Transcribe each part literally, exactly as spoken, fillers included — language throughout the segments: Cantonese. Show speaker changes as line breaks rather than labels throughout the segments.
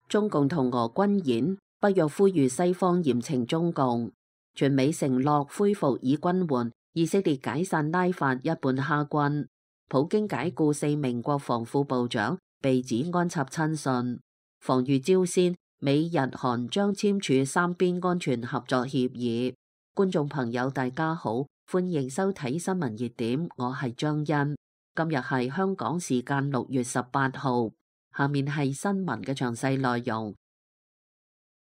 中共同俄軍演，北約呼籲西方嚴懲中共。全美承諾恢復以軍援，以色列解散拉法一半哈軍。普京解僱四名國防副部長，被指安插親信。防禦朝鮮，美日韓將簽署三邊安全合作協議。觀眾朋友大家好，歡迎收睇新聞熱點，我係張欣。今日係香港時間六月十八號，下面係新聞嘅詳細內容。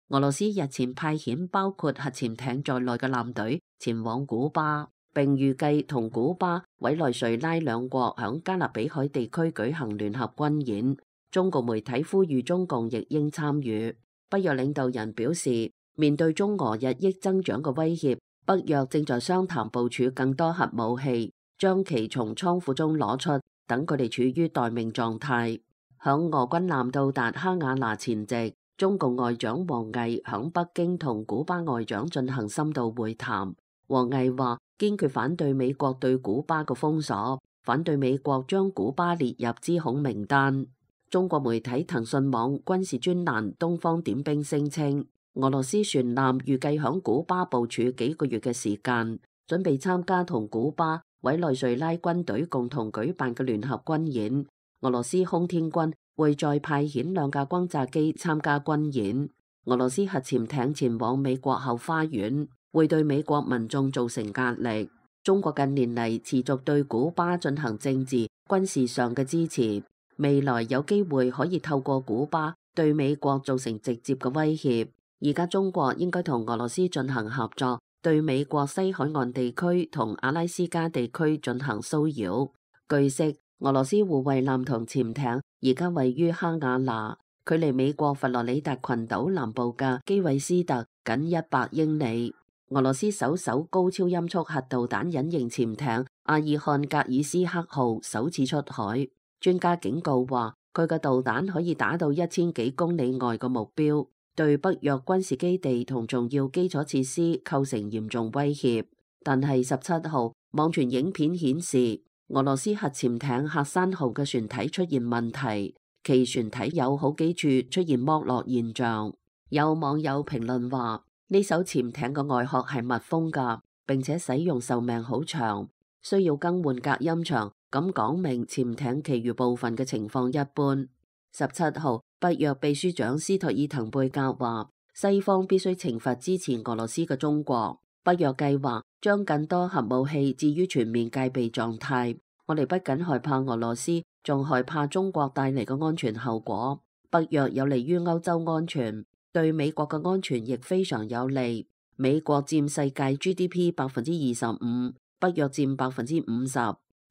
俄羅斯日前派遣包括核潛艇在內嘅艦隊前往古巴，並預計同古巴、委內瑞拉兩國響加勒比海地區舉行聯合軍演。中國媒體呼籲中共亦應參與。北約領導人表示，面對中俄日益增長嘅威脅，北約正在商談部署更多核武器，將其從倉庫中攞出，等佢哋處於待命狀態。響俄軍艦到達哈瓦那前夕，中共外長王毅響北京同古巴外長進行深度會談。王毅話堅決反對美國對古巴嘅封鎖，反對美國將古巴列入資恐名單。中國媒體騰訊網軍事專欄東方點兵聲稱，俄羅斯船艦預計響古巴部署幾個月嘅時間，準備參加同古巴、委內瑞拉軍隊共同舉辦嘅聯合軍演。俄羅斯空天軍會再派遣兩架轟炸機參加軍演。俄羅斯核潛艇前往美國後花園，會對美國民眾造成壓力。中國近年嚟持續對古巴進行政治、軍事上嘅支持。未來有機會可以透過古巴對美國造成直接嘅威脅。而家中國應該同俄羅斯進行合作，對美國西海岸地區同阿拉斯加地區進行騷擾。據悉，俄羅斯護衛艦同潛艇而家位於哈瓦那，距離美國佛羅里達群島南部嘅基韋斯特僅一百英里。俄羅斯首艘高超音速核導彈隱形潛艇阿爾漢格爾斯克號首次出海。專家警告話，佢嘅導彈可以打到一千幾公里外嘅目標，對北約軍事基地同重要基礎設施構成嚴重威脅。但係十七號網傳影片顯示，俄羅斯核潛艇喀山號嘅船體出現問題，其船體有好幾處出現剝落現象。有網友評論話，呢艘潛艇嘅外殼係密封㗎，並且使用壽命好長，需要更換隔音牆。咁講明潛艇其餘部分嘅情況一般。十七號，北約秘書長斯托爾滕貝格話，西方必須懲罰支持俄羅斯嘅中國。北約計劃將更多核武器置於全面戒備狀態。我哋不僅害怕俄羅斯，仲害怕中國帶嚟嘅安全後果。北約有利於歐洲安全，對美國嘅安全亦非常有利。美國佔世界 G D P 百分之二十五，北約佔百分之五十。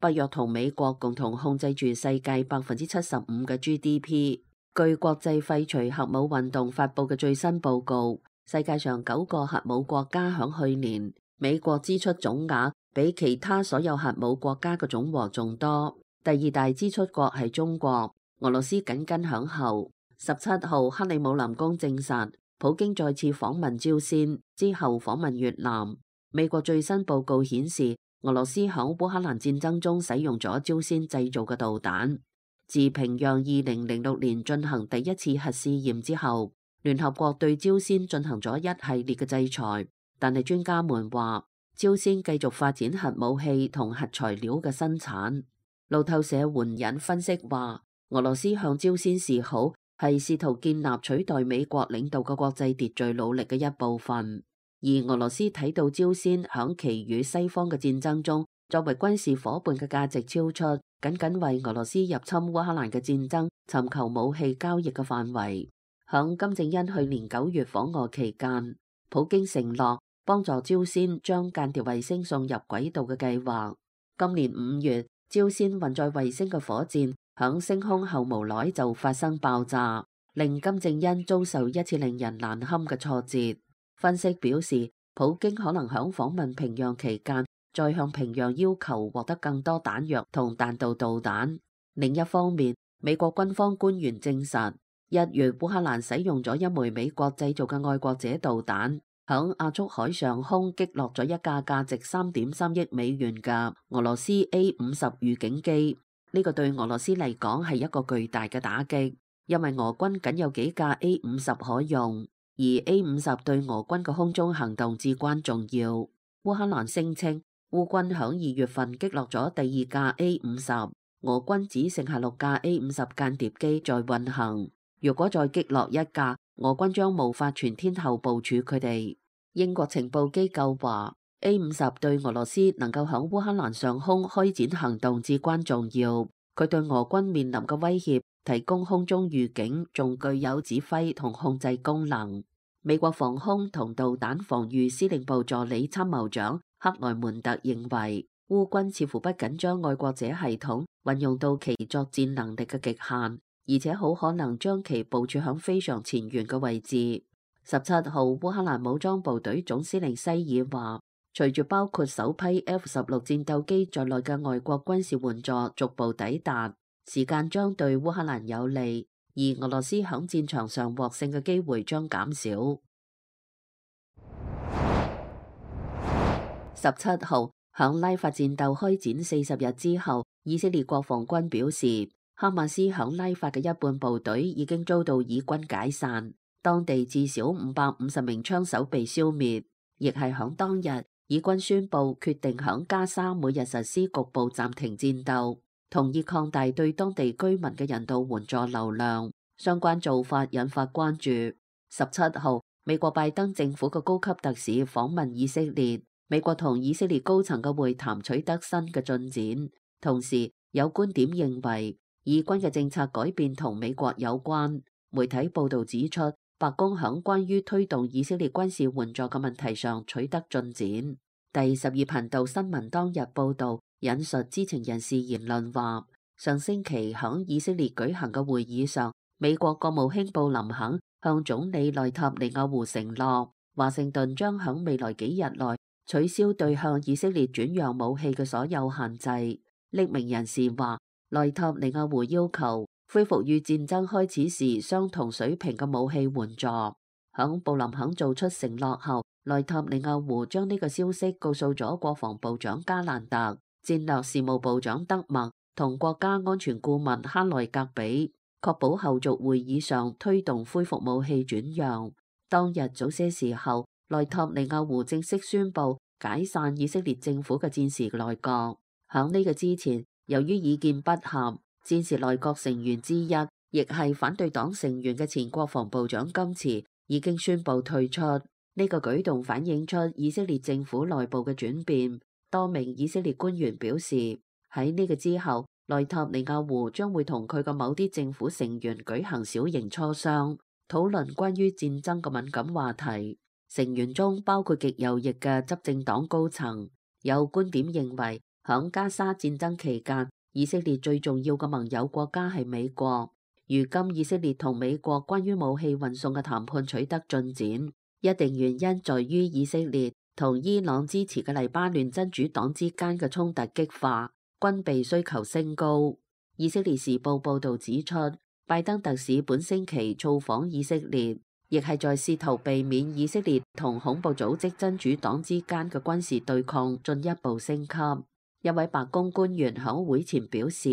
北約同美國共同控制住世界百分之七十五嘅 G D P。據國際廢除核武運動發佈嘅最新報告，世界上九個核武國家響去年美國支出總額比其他所有核武國家嘅總和仲多。第二大支出國係中國，俄羅斯緊跟響後。十七號，克里姆林宮證實，普京再次訪問朝鮮之後訪問越南。美國最新報告顯示，俄羅斯響烏克蘭戰爭中使用咗朝鮮製造嘅導彈。自平壤二零零六年進行第一次核試驗之後，聯合國對朝鮮進行咗一系列嘅制裁。但係專家們話，朝鮮繼續發展核武器同核材料嘅生產。路透社援引分析話，俄羅斯向朝鮮示好係試圖建立取代美國領導嘅國際秩序努力嘅一部分。而俄羅斯睇到朝鮮響其與西方嘅戰爭中作為軍事夥伴嘅價值超出僅僅為俄羅斯入侵烏克蘭嘅戰爭尋求武器交易嘅範圍。響金正恩去年九月訪俄期間，普京承諾幫助朝鮮將間諜衛星送入軌道嘅計劃。今年五月，朝鮮運載衛星嘅火箭響升空後無耐就發生爆炸，令金正恩遭受一次令人難堪嘅挫折。分析表示，普京可能響訪問平壤期間，再向平壤要求獲得更多彈藥同彈道導彈。另一方面，美國軍方官員證實，一月烏克蘭使用咗一枚美國製造嘅愛國者導彈，響亞速海上空擊落咗一架價值三點三億美元嘅俄羅斯 A 五十預警機。呢個對俄羅斯嚟講係一個巨大嘅打擊。因為俄軍僅有幾架 A 五十可用，而 A 五十對俄軍嘅空中行動至關重要。烏克蘭聲稱烏軍響二月份擊落咗第二架 A 五十，俄軍只剩下六架 A 五十間諜機在運行。如果再擊落一架，俄軍將無法全天候部署佢哋。英國情報機構話 A 五十對俄羅斯能夠響烏克蘭上空開展行動至關重要，佢對俄軍面臨嘅威脅提供空中預警，仲具有指揮同控制功能。美國防空同導彈防禦司令部助理參謀長克萊門特認為，烏軍似乎不僅將愛國者系統運用到其作戰能力嘅極限，而且好可能將其部署響非常前沿嘅位置。十七號，烏克蘭武裝部隊總司令西爾話，隨住包括首批 F 十六戰鬥機在內嘅外國軍事援助逐步抵達，時間將對烏克蘭有利，而俄羅斯響戰場上獲勝嘅機會將減少。十七號，響拉法戰鬥開展四十日之後，以色列國防軍表示，哈馬斯響拉法嘅一半部隊已經遭到以軍解散。當地至少五百五十名槍手被消滅，亦係響當日，以軍宣布決定響加沙每日實施局部暫停戰鬥，同意擴大對當地居民嘅人道援助流量。相關做法引發關注。十七號，美國拜登政府嘅高級特使訪問以色列，美國同以色列高層嘅會談取得新嘅進展。同時，有觀點認為，以軍嘅政策改變同美國有關。媒體報道指出，白宮響關於推動以色列軍事援助嘅問題上取得進展。第十二頻道新聞當日報道，引述知情人士言論話，上星期響以色列舉行嘅會議上，美國國務卿布林肯向總理內塔尼亞胡承諾，華盛頓將響未來幾日內取消對向以色列轉讓武器嘅所有限制。匿名人士話，內塔尼亞胡要求恢復與戰爭開始時相同水平嘅武器援助。響布林肯做出承諾後，內塔尼亞胡將呢個消息告訴咗國防部長加蘭特、戰略事務部長德默同國家安全顧問哈內格比，確保後續會議上推動恢復武器轉讓。當日早些時候，內塔尼亞胡正式宣布解散以色列政府嘅戰時內閣。響呢個之前，由於意見不合，戰時內閣成員之一，亦係反對黨成員嘅前國防部長金池已經宣布退出。呢個舉動反映出以色列政府內部嘅轉變。多名以色列官員表示，喺呢個之後，內塔尼亞胡將會同佢嘅某啲政府成員舉行小型磋商，討論關於戰爭嘅敏感話題。成員中包括極右翼嘅執政黨高層。有觀點認為，響加沙戰爭期間，以色列最重要嘅盟友國家係美國。如今以色列同美國關於武器運送嘅談判取得進展，一定原因在於以色列同伊朗支持嘅黎巴嫩真主黨之間嘅衝突激化，軍備需求升高。以色列時報報道指出，拜登特使本星期造訪以色列，亦係在試圖避免以色列同恐怖組織真主黨之間嘅軍事對抗進一步升級。一位白宮官員響會前表示，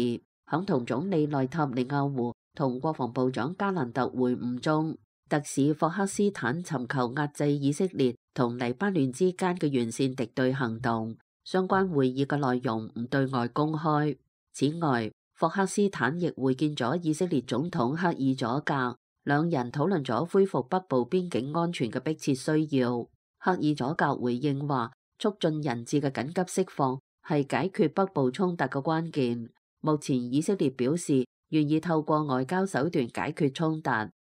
響同總理內塔尼亞胡同國防部長加蘭特會晤中，特使霍克斯坦尋求壓制以色列同黎巴嫩之間嘅完善敵對行動。相關會議嘅內容唔對外公開。此外，霍克斯坦亦會見咗以色列總統赫爾佐格，兩人討論咗恢復北部邊境安全嘅迫切需要。赫爾佐格回應話，促進人質嘅緊急釋放係解決北部衝突嘅關鍵。目前以色列表示願意透過外交手段解決衝突，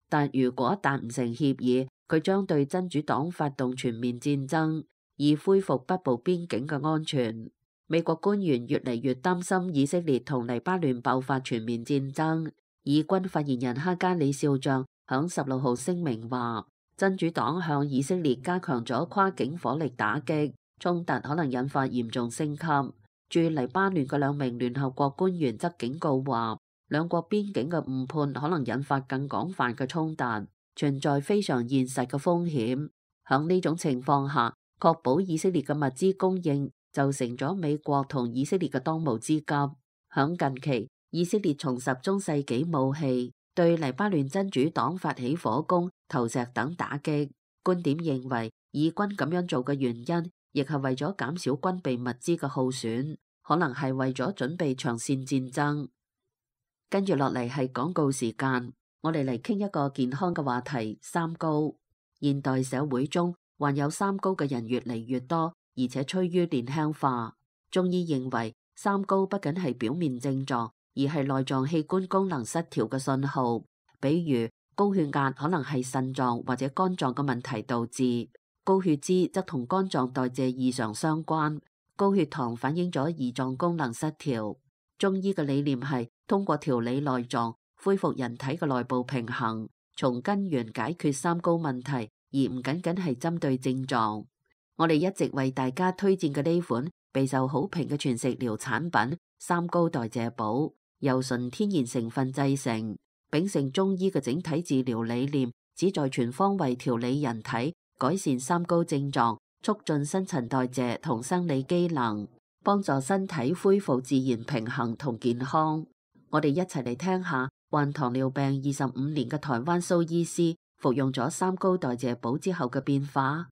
但如果達唔成協議，佢將對真主黨發動全面戰爭，以恢復北部邊境嘅安全。美國官員越嚟越擔心以色列同黎巴嫩爆發全面戰爭。以軍發言人哈加里少將響十六號聲明話，真主黨向以色列加強咗跨境火力打擊，衝突可能引發嚴重升級。駐黎巴嫩嘅兩名聯合國官員則警告話，兩國邊境嘅誤判可能引發更廣泛嘅衝突，存在非常現實嘅風險。響呢種情況下，確保以色列嘅物資供應就成咗美國同以色列嘅當務之急。響近期，以色列重拾中世紀武器，對黎巴嫩真主黨發起火攻、投石等打擊。觀點認為，以軍咁樣做嘅原因，亦係為咗減少軍備物資嘅耗損，可能係為咗準備長線戰爭。跟住落嚟係廣告時間，我哋嚟傾一個健康嘅話題：三高。現代社會中患有三高嘅人越嚟越多，而且趨於年輕化。中醫認為，三高不僅係表面症狀，而係內臟器官功能失調嘅信號。比如高血壓可能係腎臟或者肝臟嘅問題導致，高血脂則同肝臟代謝異常相關，高血糖反映咗胰臟功能失調。中醫嘅理念係通過調理內臟，恢復人體嘅內部平衡，從根源解決三高問題，而唔僅僅係針對症狀。我哋一直為大家推薦嘅呢款備受好評嘅全食療產品三高代謝寶，由純天然成分製成，秉承中醫嘅整體治療理念，旨在全方位調理人體，改善三高症狀，促進新陳代謝同生理機能，幫助身體恢復自然平衡同健康。我哋一齊嚟聽下患糖尿病二十五年嘅台灣蘇醫師服用咗三高代謝寶之後嘅變化。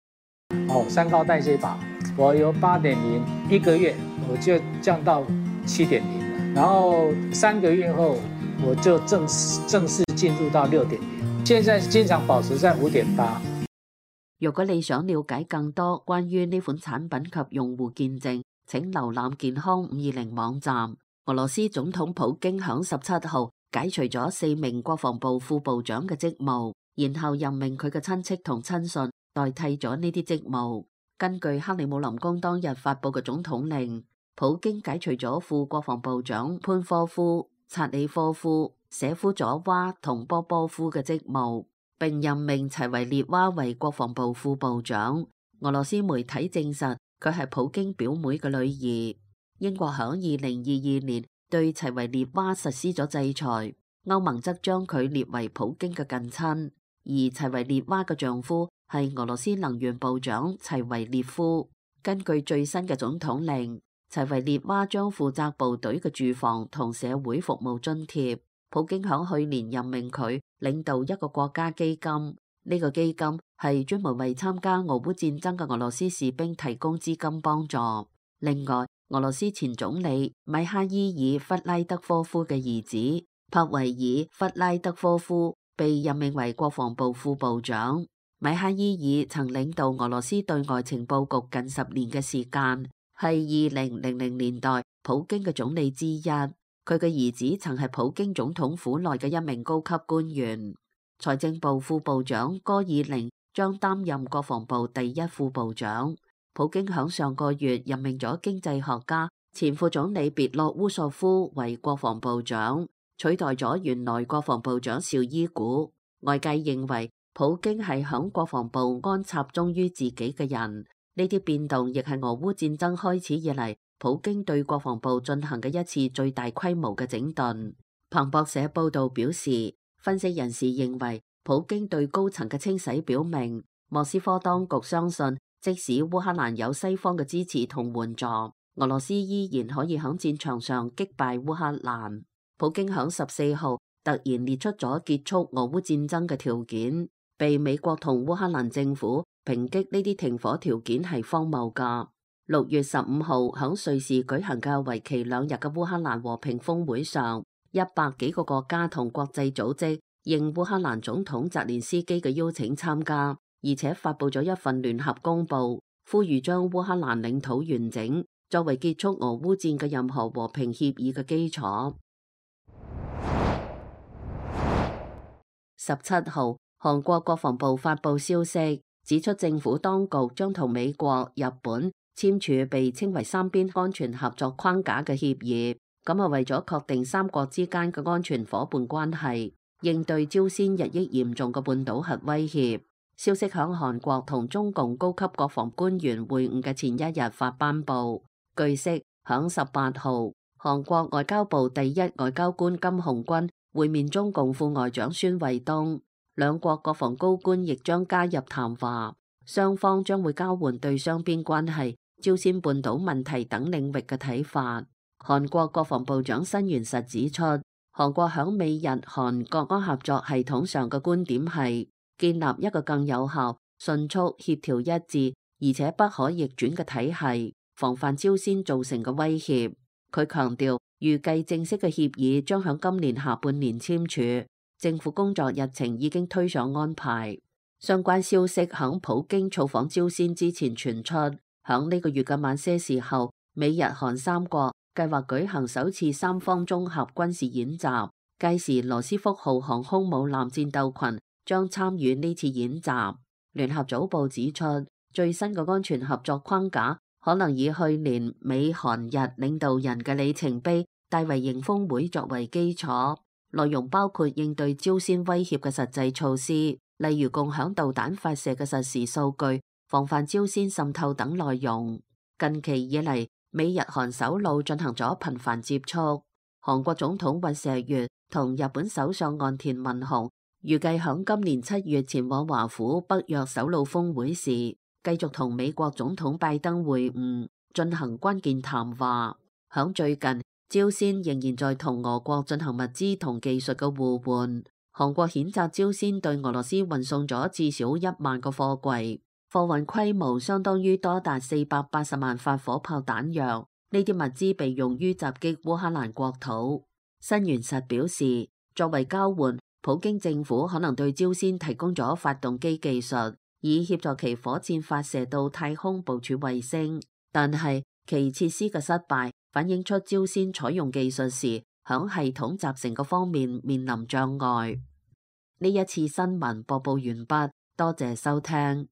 哦，三高代謝寶，我由八點零一個月我就降到七點零了，然後三個月後我就正式正式進入到六點零，現在經常保持在五點八。
如果你想了解更多關於呢款產品及用戶見證，請瀏覽健康五二零網站。俄羅斯總統普京響十七號解除咗四名國防部副部長嘅職務，然後任命佢嘅親戚同親信代替咗呢啲職務。根據克里姆林宮當日發佈嘅總統令，普京解除咗副國防部長潘科夫、察里科夫、舍夫佐娃同波波夫嘅職務，並任命齊維列娃為國防部副部長。俄羅斯媒體證實佢係普京表妹嘅女兒。英國響二零二二年對齊維列娃實施咗制裁，歐盟則將佢列為普京嘅近親，而齊維列娃嘅丈夫係俄羅斯能源部長齊維列夫。根據最新嘅總統令，齊維列娃將負責部隊嘅住房同社會服務津貼。普京響去年任命佢領導一個國家基金，呢、這個基金係專門為參加俄烏戰爭嘅俄羅斯士兵提供資金幫助。另外，俄羅斯前總理米哈伊爾·弗拉德科夫嘅兒子帕維爾·弗拉德科夫被任命為國防部副部長。米哈伊爾曾領導俄羅斯對外情報局近十年嘅時間，係二零零零年代普京嘅總理之一。佢嘅兒子曾係普京總統府內嘅一名高級官員。財政部副部長戈爾寧將擔任國防部第一副部長。普京響上個月任命咗經濟學家前副總理別洛烏索夫為國防部長，取代咗原來國防部長紹伊古。外界認為普京係響國防部安插忠於自己嘅人，呢啲變動亦係俄烏戰爭開始以嚟普京對國防部進行嘅一次最大規模嘅整頓。彭博社報道表示，分析人士認為普京對高層嘅清洗表明，莫斯科當局相信，即使烏克蘭有西方嘅支持同援助，俄羅斯依然可以喺戰場上擊敗烏克蘭。普京喺十四號突然列出咗結束俄烏戰爭嘅條件，被美國同烏克蘭政府抨擊呢啲停火條件係荒謬㗎。六月十五號喺瑞士舉行嘅為期兩日嘅烏克蘭和平峰會上，一百幾個國家同國際組織應烏克蘭總統澤連斯基嘅邀請參加。而且發佈咗一份聯合公報，呼籲將烏克蘭領土完整作為結束俄烏戰嘅任何和平協議嘅基礎。十七號，韓國國防部發佈消息，指出政府當局將同美國、日本簽署被稱為三邊安全合作框架嘅協議，咁係為咗確定三國之間嘅安全夥伴關係，應對朝鮮日益嚴重嘅半島核威脅。消息響韓國同中共高級國防官員會晤嘅前一日發頒布。據悉，響十八號，韓國外交部第一外交官金洪軍會面中共副外長孫衛東，兩國國防高官亦將加入談話，雙方將會交換對雙邊關係、朝鮮半島問題等領域嘅睇法。韓國國防部長申元實指出，韓國響美日韓國安合作系統上嘅觀點係建立一個更有效、迅速、協調一致而且不可逆轉嘅體系，防範朝鮮造成嘅威脅。佢強調，預計正式嘅協議將響今年下半年簽署，政府工作日程已經推上安排。相關消息響普京造訪朝鮮之前傳出，響呢個月嘅晚些時候，美日韓三國計劃舉行首次三方綜合軍事演習，屆時羅斯福號航空母艦戰鬥群將參與呢次演習。聯合早報指出，最新嘅安全合作框架可能以去年美韓日領導人嘅里程碑大維營峰會作為基礎，內容包括應對朝鮮威脅嘅實際措施，例如共享導彈發射嘅實時數據、防範朝鮮滲透等內容。近期以嚟，美日韓首腦進行咗頻繁接觸。韓國總統尹錫悅同日本首相岸田文雄預計響今年七月前往華府北約首腦峰會時，繼續同美國總統拜登會晤，進行關鍵談話。響最近，朝鮮仍然在同俄國進行物資同技術嘅互換。韓國譴責朝鮮對俄羅斯運送咗至少一萬個貨櫃，貨運規模相當於多達四百八十萬發火炮彈藥。呢啲物資被用於襲擊烏克蘭國土。新元實表示，作為交換，普京政府可能對朝鮮提供咗發動機技術，以協助其火箭發射到太空部署衛星。但係其設施嘅失敗，反映出朝鮮採用技術時，響系統集成嘅方面面臨障礙。呢一次新聞播報完畢，多謝收聽。